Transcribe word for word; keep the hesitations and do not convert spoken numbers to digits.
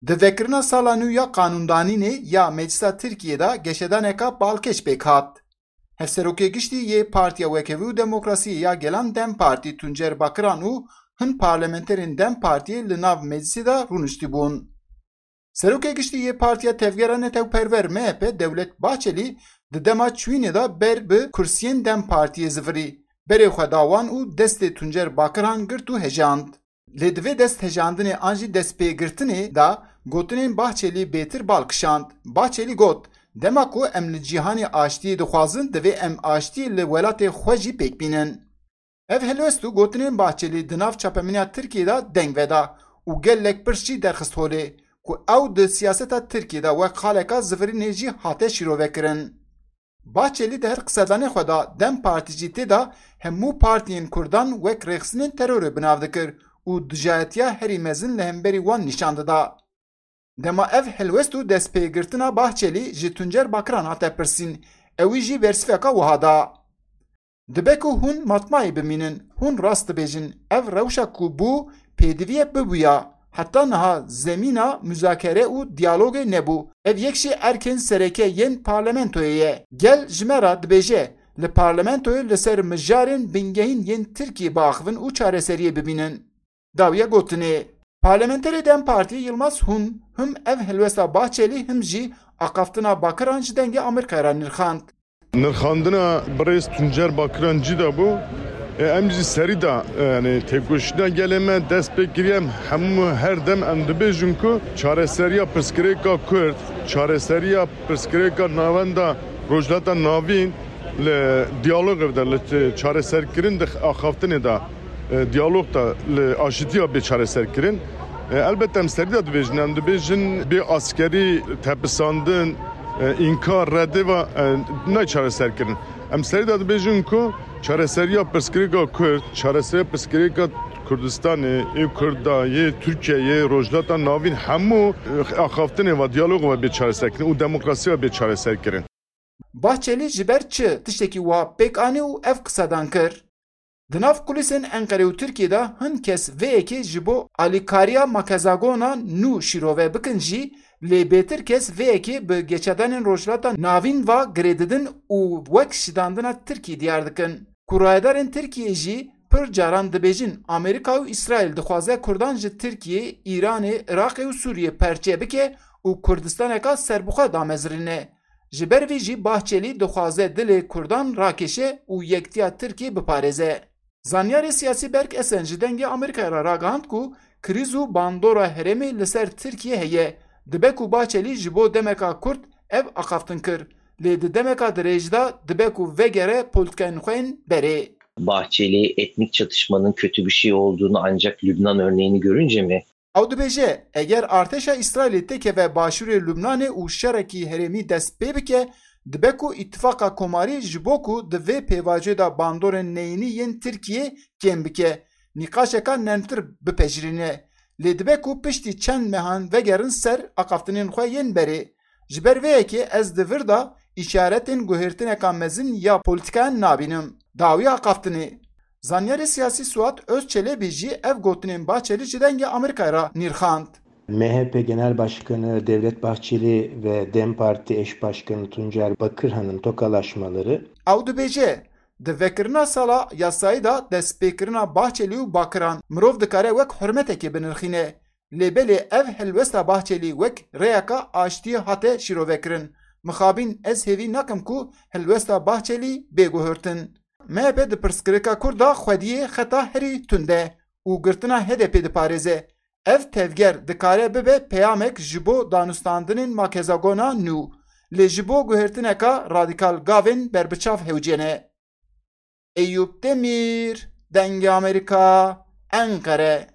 Di vekirina sala nû ya qanûndanînê ya Meclisa Tirkiyê de geşedaneka balkêş pêk hat. Hevserokê giştî yê Partiya Wekevî û Demokrasiyê ya Gelan DEM Partî Tuncer Bakiran û hin parlamenterên DEM Partiyê li nav meclisê de rûniştibûn. Serokê giştî yê Partiya Tevgera Netewperwer M H P Dewlet Bahçelî di dema çûyînê de ber bi kursiyên DEM Partiyê zivirî. Berê xwe da wan û destê Tuncer Bakiran girt û hejand. Lê di vê desthejandinê an jî destpêgirtinê de gotinên Bahçelî bêtir bal kişand. Bahçelî got, dema ku em li cîhanê aştiyê dixwazin, divê em aştiyê li welatê xwe jî pêk bînin. Ev helwest û gotinên Bahçelî di nav çapemeniya Tirkiyê de deng veda û gelek pirs jî derxist holê ku ew di siyaseta Tirkiyê de wek xaleka zivirînê jî hate şîrovekirin. Bahçelî di her qisedanê xwe de DEM Partî jî tê de hemû partiyên Kurdan wek rêxistinên terorê bi nav dikir û dijayetiya herî mezin li hemberî wan nîşan dida. Dema ev helwest û destpêgirtina Bahçelî ji Tuncer Bakiran hate pirsîn, ewî jî bersiveka wiha da. Dibe ku hûn matmayê bimînin, hûn rast dibêjin, ev rewşa ku bû, pêdiviye bibûya. Heta niha zemîna muzakere û diyalogê nebû. Ev yek jî erkên sereke yên parlamentoyê ye. Gel ji me re dibêje, li parlamentoyê li ser mijarên bingehîn yên Tirkiyê biaxivin û çareseriyê bibînin. Dawiya gotinê, Parlamenterê DEM Partî Yilmaz Hun him ev helwesta Bahçelî him jî axaftina Bakiran ji Dengê Amerîkayê re nirxand. Nirxandina birêz Tuncer Bakiran cî de bû. E, em jî serî de, e, yani têkoşîna gelê me dest pê kiriye. Em hemû her dem em dibêjin ku çareseriya pirsgirêka Kurd, çareseriya pirsgirêka navenda Rojhilata Navîn li diyalogê de, li çareserkirin di axaftinê de, e, diyalog de li aşitiya bê çareserkirin. E, elbette em serî de dibêjin, em dibêjin bê askerî tepisandin, e, înkar, redê ve, e, nayê çareserkirin. Em serî de dibêjin ku çareseriya pirsgirêka Kurd, çareseriya pirsgirêka Kurdistanê, ê Kurda, yê Tirkiyeyê, Rojhilata Navîn hemû, e, axaftinê ve, diyalog ve bê çareserkirin û demokrasî ve bê çareserkirin. Bahçelî ji ber çi tiştekî wiha pêk anî û ev qisedan kir? Di nav kulîsên Enqerê û Tirkiyê de hin kes vê yekê ji bo alîkariya makezagona nû şîrove bikin jî, lê bêtir kes vê yekê bi geçedanên Rojhilata Navîn ve girê didin û wek şidandina Tirkiyê diyar dikin. Ku rayedarên Tirkiyê jî pir caran dibêjin, Amerîka û Îsraîl dixwaze Kurdan ji Tirkiyê, Îranê, Iraqê û Sûriyê perçe bike û Kurdistaneka serbixwe damezirîne. Ji ber vî jî Bahçelî dixwaze dilê Kurdan rakêşe û yektiya Tirkiyê biparêze. Zanyarê siyasî Berk Esen ji Dengê Amerîkayê re ragihand ku krîz û bandora herêmê li ser Tirkiyê heye. Dibe ku Bahçelî ji bo demeka kurt ev axaftin kir, lê di demeka dirêj de dibe ku vegere polîtikayên xwe yên berê. Bahçeli etnik çatışmanın kötü bir şey olduğunu ancak Lübnan örneğini görünce mi? Ew dibêje, eger artêşa Îsraîlê têkeve başûrê Lubnanê û şerekî herêmî dest pê bike, dibe ku îtifaqa komarî ji bo ku di vê pêvajoyê de bandorên neyînî yên Tirkiyê kêm bike, nîqaşeka nermtir bipejirîne. Lê dibe ku piştî çend mehan vegerin ser axaftinên xwe yên berê. Ji ber vê yekê ez di vir de îşaretên guhêrtineka mezin ya polîtikayan nabînim. Dawiya axaftinê. Zanyarê siyasî Suat Özçelebî jî ev gotinên Bahçelî ji Dengê Amerîkayê re nîrxand. M H P Genel Başkanı Devlet Bahçeli ve DEM Parti eş başkanı Tuncer Bakırhan'ın tokalaşmaları Ew dibêje, di vekirina sala yasayî de destpêkirina Bahçelî û Bakiran mirov dikare wek hurmetekê binirxîne. Lê belê ev helwesta Bahçelî wek rêyeka aştiyê hate şîrovekirin. Mixabin ez hêvî nakim ku helwesta Bahçelî bê guhurtin. M H P di pirsgirêka Kurd de xwediyê xeta herî tund e û girtina H D P diparêze. Ev tevger dikare bibe peyamek ji bo danûstandinên makezagona nû, lê ji bo guhêrtineka radîkal gavên berbiçav hewce ne. Eyûp Demîr, Dengê Amerîka, Enqere.